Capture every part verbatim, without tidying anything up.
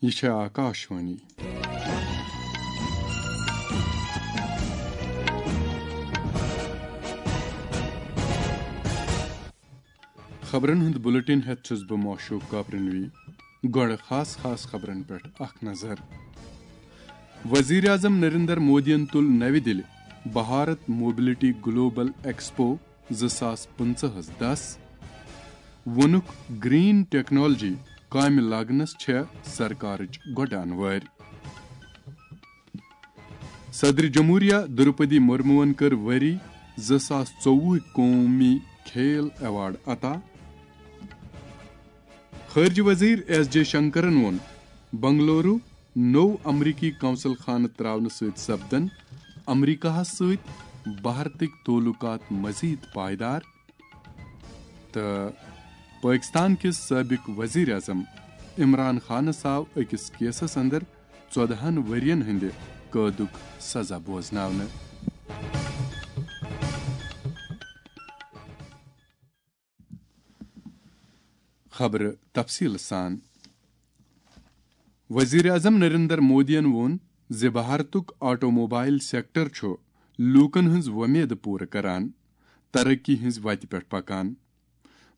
یہِ چھےٚ آکاشوانی۔ خبرن ہُنٛد بُلٹن ہٮ۪تھ چھُس بہٕ معشوق کاپرنوی۔ گۄڈٕ خاص خاص خبرن پٮ۪ٹھ اکھ نظر۔ وزیر اعظم نریندر مودیَن تُل نَوِ دِلہِ بھارت موبلٹی گلوبل ایکسپو زٕ ساس پٕنٛژٕہَس دَس۔ ووٚنُکھ، گرین ٹیکنالوجی کامہِ لاگنس چھےٚ سرکارٕچ گۄڈٕ انوٲرۍ۔ صدر جمہوریہ درپدی مرموَن کٔر ؤری زٕ ساس ژوٚوُہ قومی کھیل ایوارڈ عطا۔ خارجہ وزیر ایس جے شنکرن ووٚن، بنگلورو نوٚو امریکی قونصل خانہٕ تراونہٕ سۭتۍ سپدن امریکہس سۭتۍ بھارتٕکۍ تعلقات مزید پائیدار۔ تہٕ پٲکستان کِس سٲبق وزیر اعظم عمران خانس آو أکِس کیسس اندر ژۄدہَن ؤرین ہٕنٛدِ قٲدُک سزا بوزناونہٕ۔ خبرٕ تفصیٖل سان۔ وزیر اعظم نریندر مودیَن ووٚن زِ بھارتُک آٹو موبائل سیکٹر چھُ لوٗکَن ہٕنٛز وۄمید پوٗرٕ کران، ترقی ہٕنٛز وتہِ پٮ۪ٹھ پکان۔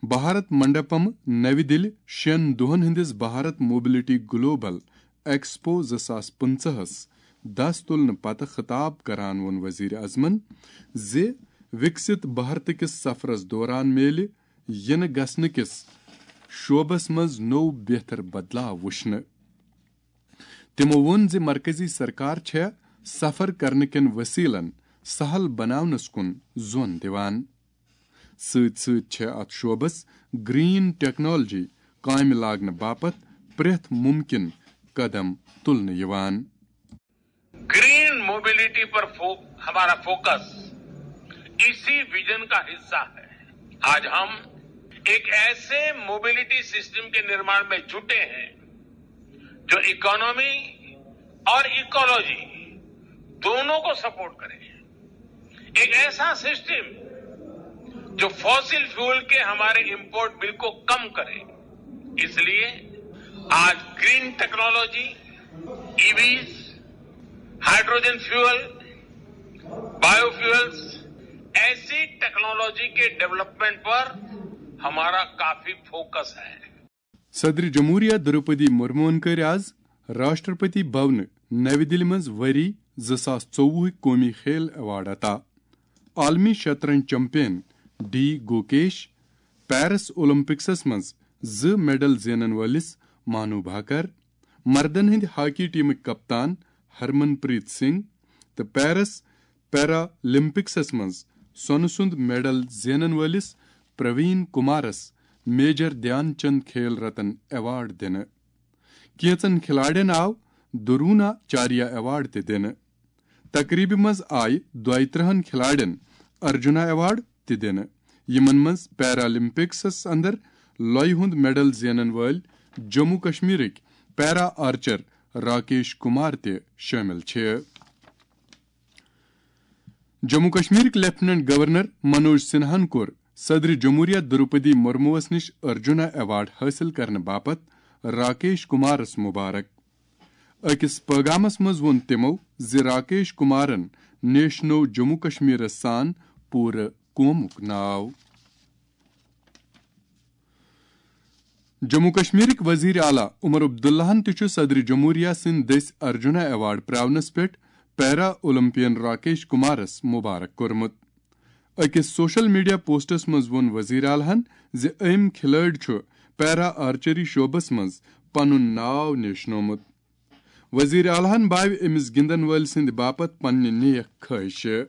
بھارت منڈپم نَوِ دِلہِ شٮ۪ن دۄہَن ہٕنٛدِس بھارت موبلٹی گلوبل ایکسپو زٕ ساس پٕنٛژٕہَس دَس تُلنہٕ پتہٕ خطاب کران ووٚن وزیر اعظمن زِ وِکسِت بھارت کِس سفرس دوران میلہِ یِنہٕ گژھنہٕ کِس شعبس منٛز نوٚو بہتر بدلاو وٕچھنہٕ۔ تِمو ووٚن زِ مرکزی سرکار چھےٚ سفر کرنہٕ کٮ۪ن وسیلن سہل بناونس کُن زون دِوان۔ سۭتۍ سۭتۍ چھےٚ اتھ شعبس گرین ٹیکنالوجی کامہِ لاگنہٕ باپتھ پرٛٮ۪تھ مُمکِن قدم تُلنہٕ یِوان۔ ग्रीन मोबिलिटी पर फो, हमारा फोकस इसी विजन का हिस्सा है। आज हम एक ऐसे मोबिलिटी सिस्टम के निर्माण में जुटे हैं जो इकोनॉमी और इकोलॉजी दोनों को सपोर्ट करे। एक ऐसा सिस्टम जो फॉसिल फ्यूल के हमारे इंपोर्ट बिल को कम करे। इसलिए आज green technology, EVs, hydrogen fuel, biofuels, ऐसी टेक्नोलॉजी के डेवलपमेंट पर हमारा काफी फोकस है। صدر جمہوریہ درپدی مرموہن کٔرۍ آز راشٹرپتی بھونہٕ نَوِ دِلہِ منٛز ؤری زٕ ساس ژوٚوُہ قومی کھیل ایوارڈ عطا۔ عالمی شطرنج چیمپئن ڈی گوکیش، پیرس اولمپکسس منٛز زٕ میڈل زینن وٲلِس مانو بھاکر، مردن ہٕنٛدِ ہاکی ٹیمٕکۍ کپتان ہرمن پریت سنگھ تہٕ پیرس پیرالمپکسس منٛز سۄنہٕ سُنٛد میڈل زینن وٲلِس پروین کمارس میجر دھیان چند کھیل رتن ایوارڈ دِنہٕ۔ کینٛژن کھلاڑٮ۪ن آو درونا چاریا ایوارڈ تہِ دِنہٕ۔ تقریبہِ منٛز آیہِ دۄیہِ ترٕٛہن کھلاڑٮ۪ن ارجنا ایوارڈ تہِ دِنہٕ، یِمن منٛز پیرالمپکسس اندر لۄیہِ ہُنٛد میڈل زینن وٲلۍ جموں کشمیرٕکۍ پیرا آرچر راکیش کمار تہِ شٲمِل چھِ۔ جموں کشمیرٕکۍ لیفٹیننٹ گورنر منوج سنہاہن کوٚر صدر جمہوریہ درپدی مرموس نِش ارجنا ایوارڈ حٲصِل کرنہٕ باپتھ راکیش کمارس مبارک۔ أکِس پٲغامس منٛز ووٚن تِمو زِ راکیش کمارن نیشنو جموں کشمیرس سان پوٗرٕ قومُک ناو۔ جموں کشمیرٕکۍ وزیر اعلیٰ عمر عبداللہن تہِ چھُ صدر جمہوریہ سٕنٛدِ دٔسۍ ارجنا ایوارڈ پراونس پٮ۪ٹھ پیرا اولمپین راکیش کمارس مبارک کوٚرمُت۔ أکِس سوشل میڈیا پوسٹس منٛز ووٚن وزیر اعلیٰ ہن زِ أمۍ کھلٲڑۍ چھُ پیرا آرچری شعبس منٛز پنُن ناو نیشنومُت۔ وزیر اعلیٰ ہن باوِ أمِس گِنٛدن وٲلۍ سٕنٛدِ باپتھ پننہِ نیک خٲہشہِ۔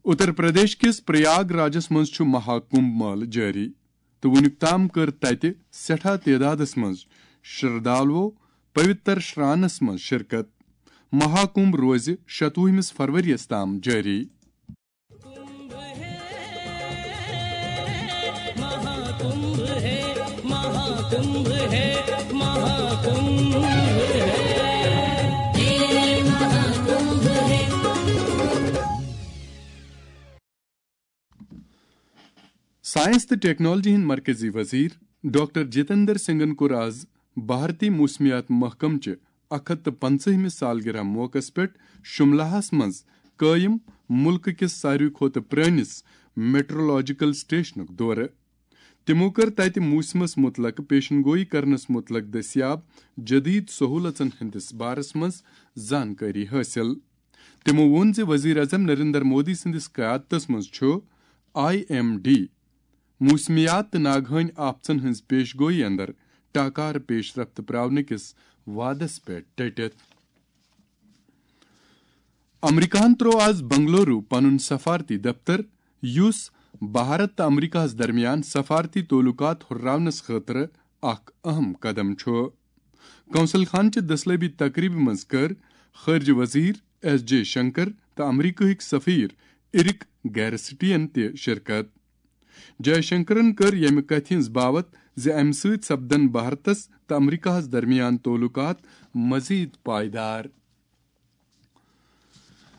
اتر پردیش کِس پریاگ راجس منٛز چھُ مہا کمبھ مٲلہٕ جٲری تہٕ وُنیُک تام کٔر تَتہِ سٮ۪ٹھاہ تعدادَس منٛز شردھالوو پویتر شرانس منٛز شرکت۔ مہا کمبھ روزِ شتوُہمِس فروریَس تام جٲری۔ سائنس تہٕ ٹیکنالوجی ہٕنٛدۍ مرکزی وزیر ڈاکٹر جتندر سنگھن کوٚر آز بھارتی موسمیات محکمہٕ چہِ اکھ ہتھ تہٕ پنٛژاہمہِ سالگرہ موقعس پٮ۪ٹھ شملہس منٛز قٲیِم مُلکہٕ کِس ساروی کھۄتہٕ پرٛٲنِس میٹرولوجیکل سٹیشنُک دورٕ۔ تِمو کٔر تَتہِ موسمَس مُتلق پیشن گوئی کرنَس مُتلق دٔستیاب جدید سہولژن ہٕنٛدِس بارس منٛز زانکٲری حٲصِل۔ تِمو ووٚن زِ وزیر اعظم نریندر مودی سٕنٛدِس قیادتس منٛز چھُ آئی ایم ڈی موسمیات تہٕ ناگہٲنی آفتن ہٕنٛز پیش گوئی اندر ٹاکار پیش رفت پراونہٕ کِس وعدس پٮ۪ٹھ ڈٔٹِتھ۔ امریکہن تروو آز بنگلورو پنُن سفارتی دفتر، یُس بھارت تہٕ امریکہس درمیان سفارتی تعلقات ہُرراونس خٲطرٕ اکھ اہم قدم چھُ۔ کونسل خانہٕ چہِ دٔسلٲبی تقریبہِ منٛز کٔر خارجہ وزیر ایس جے شنکر تہٕ امریکہٕکۍ سفیر ایرک گیرسٹین تہِ شرکت۔ جے شنکرن کٔر ییٚمہِ کتھِ ہٕنٛز باوت زِ امہِ سۭتۍ سپدن بھارتس تہٕ امریکہس درمیان تعلقات مزید پائیدار۔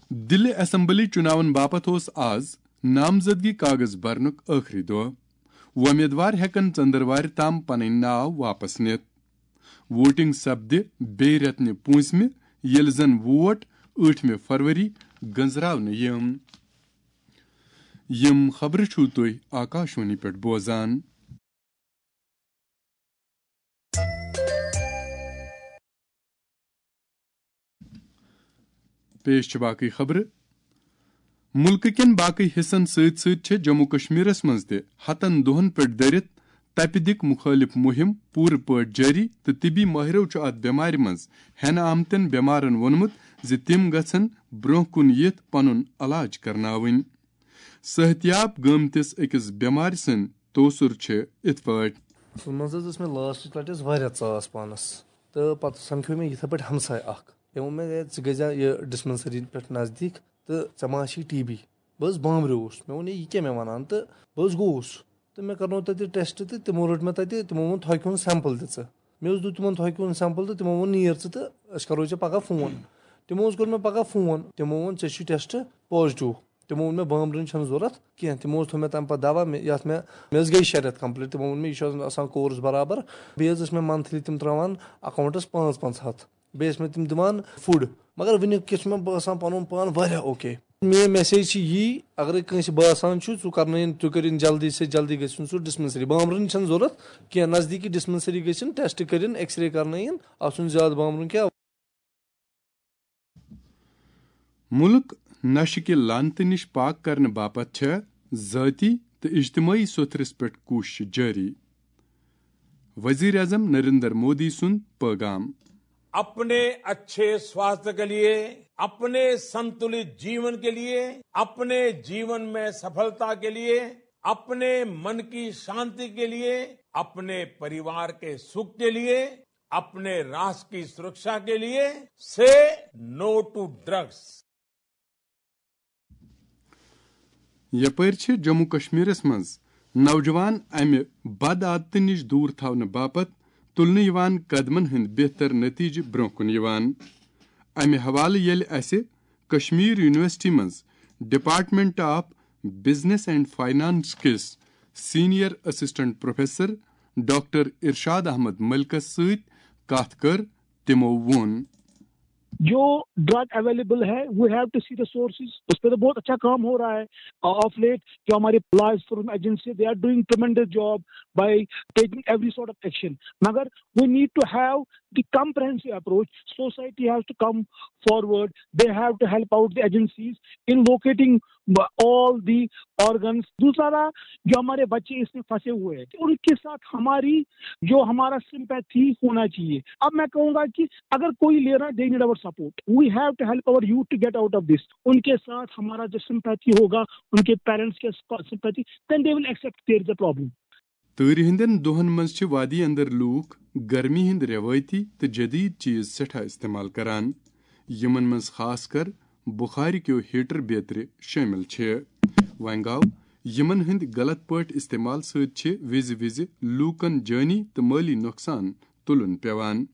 دِلہِ اسمبلی چُناون باپتھ اوس آز نامزدگی کاغذ برنُک ٲخری دۄہ۔ وۄمیدوار ہٮ۪کن ژٔنٛدٕروارِ تام پنٕنۍ ناو واپس نِتھ۔ ووٹنگ سپدِ بیٚیہِ رٮ۪تہٕ پوٗنٛژمہِ، ییٚلہِ زن ووٹ ٲٹھمہِ فروری گنزراونہٕ یِم۔ یِم خبرٕ چھِو تُہۍ آکاشوانی پٮ۪ٹھ بوزان۔ پیش چھِ باقٕے خبرٕ۔ مُلکہٕ کٮ۪ن باقٕے حصن سۭتۍ سۭتۍ چھِ جموں کشمیرس منٛز تہِ ہتن دۄہن پٮ۪ٹھ دٔرِتھ تپہِ دِق مُخٲلِف مُہِم پوٗرٕ پٲٹھۍ جٲری تہٕ طبی مٲہرو چھُ اتھ بٮ۪مارِ منٛز ہٮ۪نہٕ آمتٮ۪ن بٮ۪مارن ووٚنمُت زِ تِم گژھن برٛونٛہہ کُن یِتھ پنُن علاج کرناوٕنۍ۔ صحتیاب گٲمتِس أکِس بٮ۪مارِ سٕنٛدۍ توسُر چھِ یِتھ پٲٹھۍ۔ اَصٕل منٛز حظ ٲس مےٚ لاسٹٕچ لَٹہِ حظ واریاہ ژاس پانَس، تہٕ پَتہٕ سَمکھیو مےٚ یِتھَے پٲٹھۍ ہمساے اَکھ۔ تٔمۍ ووٚن مےٚ، "ہے، ژٕ گٔژھ زِ یہِ ڈِسپَنسٔری پٮ۪ٹھ نزدیٖک تہٕ ژےٚ ما چھی ٹی بی؟" بہٕ حظ بامبریوس، مےٚ ووٚن، "ہے، یہِ کیٛاہ مےٚ وَنان؟" تہٕ بہٕ حظ گوٚوُس تہٕ مےٚ کَرنوو تَتہِ ٹٮ۪سٹ تہٕ تِمو رٔٹ مےٚ تَتہِ، تِمو ووٚن، "تھۄکہِ ہُنٛد سٮ۪مپٕل دِ ژٕ۔" مےٚ حظ دیُت تِمَن تھۄکہِ ہُنٛد سٮ۪مپٕل تہٕ تِمو ووٚن، "نیر ژٕ تہٕ أسۍ کَرو ژےٚ پَگاہ فون۔" تِمو حظ کوٚر مےٚ پَگاہ فون، تِمو ووٚن، "ژےٚ چھُے ٹٮ۪سٹ پازٹِو۔" تِمو ووٚن مےٚ بامبرُن چھَنہٕ ضوٚرَتھ کینٛہہ۔ تِمو حظ تھوٚو مےٚ تَمہِ پَتہٕ دَوا، مےٚ، یَتھ مےٚ، مےٚ حظ گٔے شےٚ رٮ۪تھ کَمپٕلیٖٹ۔ تِمو ووٚن مےٚ، "یہِ چھُ آسان کورس برابر۔" بیٚیہِ حظ ٲسۍ مےٚ مَنتھلی تِم ترٛاوان اٮ۪کاوُنٛٹَس پانٛژھ پانٛژھ ہَتھ۔ بیٚیہِ ٲسۍ مےٚ تِم دِوان فُڈ۔ مگر وٕنیُک کِس چھُ مےٚ باسان پَنُن پان واریاہ اوکے۔ میٛٲنۍ میسیج چھِ یی، اگرے کٲنٛسہِ باسان چھُ، ژٕ کَرنٲیِن، تُہۍ کٔرِن جلدی سے جلدی گٔژھِن سُہ ڈِسپَنسٔری۔ بامبرُن چھَنہٕ ضوٚرَتھ کینٛہہ، نزدیٖکی ڈِسپَنسٔری گٔژھِن، ٹٮ۪سٹ کٔرِن، ایکس رے کَرنٲیِن، اَتھ چھُنہٕ زیادٕ بامبرُن کینٛہہ۔ مُلک نشہٕ کہِ لعنتہٕ نِش پاک کرنہٕ باپتھ چھےٚ ذٲتی تہٕ اجتمٲعی سوٚتھرِس پٮ۪ٹھ کوٗششہٕ جٲری۔ وزیر اعظم نریندر مودی سُنٛد پٲغام۔ अपने अच्छे स्वास्थ्य के लिए, अपने संतुलित जीवन के लिए, अपने जीवन में सफलता के लिए, अपने मन की शांति के लिए, अपने परिवार के सुख के लिए, अपने राष्ट्र की सुरक्षा के लिए, say no to drugs. یپٲرۍ چھِ جموں کشمیرس منٛز نوجوان امہِ بد عادتہٕ نِش دوٗر تھاونہٕ باپتھ تُلنہٕ یِوان قدمن ہٕنٛدۍ بہتر نتیجہٕ برٛونٛہہ کُن یِوان۔ امہِ حوالہٕ ییٚلہِ اسہِ کشمیر یونیورسٹی منٛز Department of Business and Finance کِس senior assistant professor doctor Irshad Ahmad ملکس سۭتۍ کتھ کٔر، تِمو ووٚن۔ جو ڈرگ اویلیبل ہے، we have to see the sources. اس پہ تو بہت اچھا کام ہو رہا ہے آف لیٹ۔ جو ہمارے law enforcement agency, they are doing tremendous job by taking every sort of action. مگر we need to have the comprehensive approach. Society has to come forward. They have to help out the agencies in locating all the organs. دوسرا، جو ہمارے بچے اس میں پھنسے ہوئے ہیں، ان کے ساتھ ہماری جو ہمارا سمپیتھی ہونا چاہیے۔ اب میں کہوں گا کہ اگر کوئی لے رہا ہے، they need our support. We have to help our youth to get out of this. ان کے ساتھ ہمارا جو سمپیتھی ہوگا، ان کے پیرنٹس کے sympathy, then they will accept there is a problem. تۭرِ ہٕنٛدٮ۪ن دۄہن منٛز چھِ وادی اندر لوٗکھ گرمی ہٕنٛدۍ رٮ۪وٲیتی تہٕ جدید چیز سٮ۪ٹھاہ استعمال کران، یِمن منٛز خاص کر بخارِ کیو ہیٹر بیترِ شٲمِل چھِ۔ وۄنۍ گوٚو، یِمن ہٕنٛدِ غلط پٲٹھۍ استعمال سۭتۍ چھِ وِزِ وِزِ لوٗکن جٲنی تہٕ مٲلی نۄقصان تُلُن پٮ۪وان۔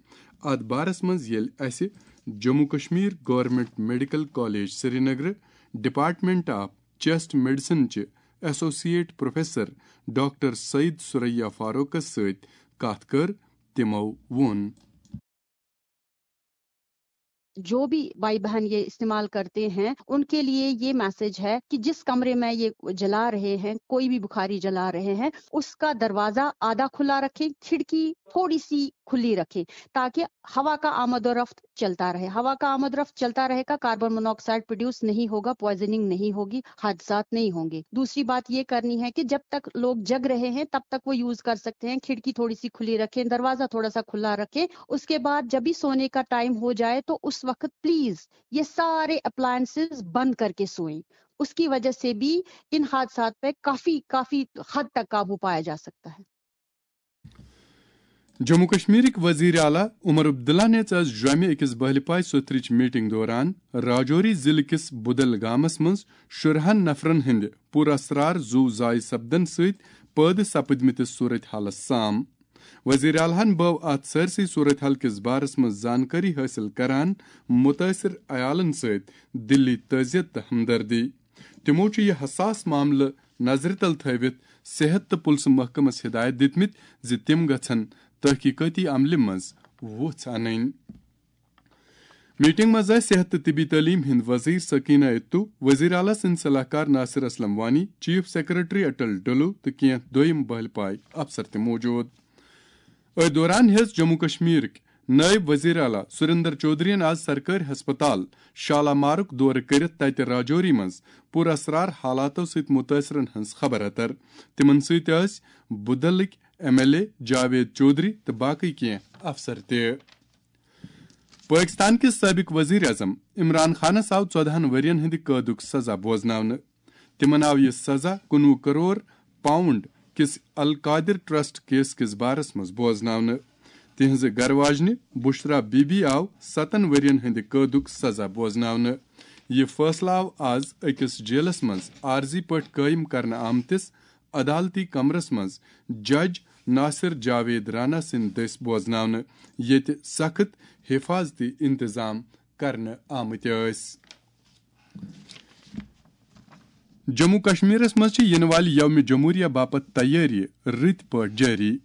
اتھ بارس منٛز ییٚلہِ اسہِ Jammu Kashmir government medical college سرینگرٕ ڈپارٹمنٹ آف چیسٹ میڈیسن چہِ associate professor doctor Saeed Suraiya فاروقس سۭتۍ کتھ کٔر، تِمو ووٚن۔ जो भी भाई बहन ये इस्तेमाल करते हैं, उनके लिए ये मैसेज है कि जिस कमरे में ये जला रहे हैं, कोई भी बुखारी जला रहे हैं, उसका दरवाजा आधा खुला रखें, खिड़की थोड़ी सी खुली रखें, ताकि हवा का आमदोरफ्त चलता रहे। हवा का आमदोरफ्त चलता रहेगा, कार्बन मोनोऑक्साइड प्रोड्यूस नहीं होगा, पॉइजनिंग नहीं होगी, हादसात नहीं होंगे। दूसरी बात ये करनी है कि जब तक लोग जग रहे हैं, तब तक वो यूज कर सकते हैं। खिड़की थोड़ी सी खुली रखें, दरवाजा थोड़ा सा खुला रखें। उसके बाद जब भी सोने का टाइम हो जाए, तो उस वक्त प्लीज ये सारे अप्लायंसेस बंद करके सोएं। उसकी वजह से भी इन हादसात पे काफी काफी हद तक काबू पाया जा सकता है। جموں کشمیرٕکۍ وزیر اعلیٰ عمر عبداللہ نِژ آز جوٚمہِ أکِس بہلہِ پاے سوٚتھرٕچ میٹنگ دوران راجوری ضلعہٕ کِس بدل گامس منٛز شُرہن نفرن ہٕنٛدِ پُر اسرار زُو ضایع سپدن سۭتۍ پٲدٕ سپدمٕتِس صورت حالس سام۔ وزیر اعلیٰ ہن بٲو اتھ سٲرسٕے صورت حال کِس بارس منٛز زانکٲری حٲصِل کران مُتٲثِر عیالن سۭتۍ دِلی تعزیت تہٕ ہمدردی۔ تِمو چھُ یہِ حساس معاملہٕ نظرِ تل تھٲوِتھ صحت تہٕ پُلسہٕ محکمس ہدایت دِتمٕتۍ زِ تِم گژھن تحقیقٲتی عملہِ منٛز وُژھ انٕنۍ۔ میٹنگ منٛز ٲسۍ صحت تہٕ طبی تعلیٖم ہٕنٛدۍ وزیر سکینہ اتو، وزیر اعلیٰ سٕنٛدۍ صلاح کار ناصر اسلم وانی، چیف سیکرٹری اٹل ڈلو تہٕ کینٛہہ دوٚیم بہلہِ پاے افسر تہِ موجود۔ أتھۍ دوران ہیٚژ جموں کشمیرٕکۍ نٲیِب وزیر اعلیٰ سُریندر چودھرین آز سرکٲرۍ ہسپتال شالامارُک دورٕ کٔرِتھ تتہِ راجوری منٛز پُر اسرار حالاتو سۭتۍ مُتٲثرن ہٕنٛز خبر اتر۔ تِمن سۭتۍ ٲسۍ بُدلٕکۍ M L A Javed Chaudhary تہٕ باقٕے کینٛہہ افسر تہِ۔ پٲکِستان کِس سٲبِق ؤزیٖر اعظم عمران خانَس آو ژۄدہَن ؤرۍ یَن ہٕنٛدِ قٲدُک سزا بوزناونہٕ۔ تِمَن آو یہِ سزا کُنوُہ کرور پاؤنڈ کِس القادر ٹرسٹ کیس کِس بارَس منٛز بوزناونہٕ۔ تِہنٛزِ گرٕ واجنہِ بشرا بی بی آو ستَن ؤرۍ یَن ہٕنٛدِ قٲدُک سزا بوزناونہٕ۔ یہِ فٲصلہٕ آو آز أکِس جیلَس منٛز عارضی پٲٹھۍ قٲیِم کرنہٕ آمتِس عدالتی کمرَس منٛز جج ناصر جاوید رانا سٕنٛدِ دٔسۍ بوزناونہٕ، ییٚتہِ سخت حفاظتی انتظام کرنہٕ آمٕتۍ ٲسۍ۔ جموں کشمیرس منٛز چھِ یِنہٕ والہِ یومِ جمہوریہ باپتھ تیٲری رٕتۍ پٲٹھۍ جٲری۔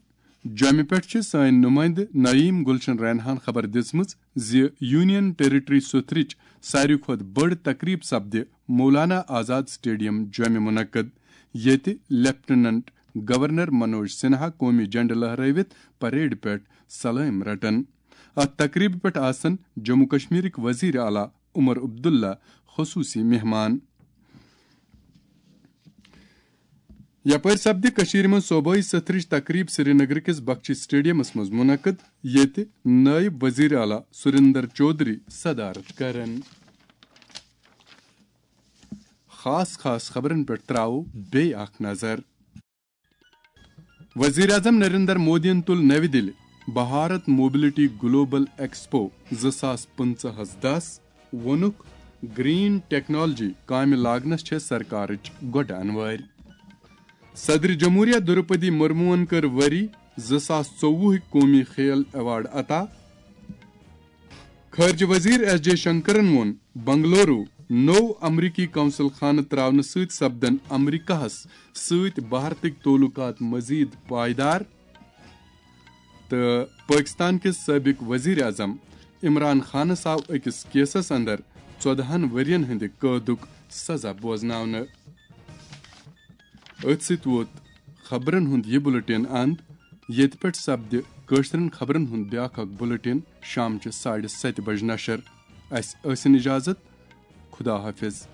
جوٚمہِ پٮ۪ٹھ چھِ سٲنۍ نُمٲیندٕ نعیم گلشن رینہان خبر دِژمٕژ زِ یونین ٹیریٹری سوٚتھرٕچ ساروی کھۄتہٕ بٔڑ تقریب سپدِ مولانا آزاد سٹیڈیم جوٚمہِ منعقد، ییٚتہِ لیفٹیننٹ گورنر منوج سنہا قومی جھنڈٕ لہرٲوِتھ پریڈ پٮ۪ٹھ سلٲمۍ رٹن۔ اتھ تقریبہِ پٮ۪ٹھ آسن جموں کشمیرٕکۍ وزیر اعلیٰ عمر عبداللہ خصوصی مہمان۔ یپٲرۍ سپدِ کٔشیٖرِ منٛز صوبٲئی سٔتھرٕچ تقریب سرینگرٕ کِس بخشی سٹیڈیمس منٛز منعقد، ییٚتہِ نٲیِب وزیر اعلیٰ سُریندر چودھری صدارت کرن۔ خاص خاص خبرن پٮ۪ٹھ تراوو بیٚیہِ اکھ نظر۔ وزیر اعظم نریندر مودیَن تُل نَوِ دِلہِ بھارت موبلٹی گلوبل ایکسپو زٕ ساس پٕنٛژٕہَس دَس، ووٚنُکھ، گرین ٹیکنالوجی کامہِ لاگنس چھےٚ سرکارٕچ گۄڈٕ انوٲرۍ۔ صدر جمہوریہ درپدی مرموہن کٔر ؤری زٕ ساس ژوٚوُہٕکۍ قومی کھیل ایوارڈ عطا۔ خارجہ وزیر ایس جے شنکرن ووٚن، بنگلورو نوٚو امریکی قونصل خانہٕ تراونہٕ سۭتۍ سپدن امریکہس سۭتۍ بھارتٕکۍ تعلقات مزید پائیدار۔ تہٕ پٲکِستان کِس سٲبِق ؤزیٖر اعظم عمران خانَس آو أکِس کیسَس اندر ژۄدہَن ؤرۍ یَن ہٕنٛدِ قٲدُک سزا بوزناونہٕ۔ أتھۍ سۭتۍ ووت خبرَن ہُنٛد یہِ بُلٹن اند، ییٚتہِ پٮ۪ٹھ سپدِ کٲشرٮ۪ن خبرَن ہُنٛد بیٛاکھ اکھ بُلٹن شامچہِ ساڑِ ستہِ بجہِ نشر۔ اَسہِ ٲسِن اجازت۔ خدا حافظ۔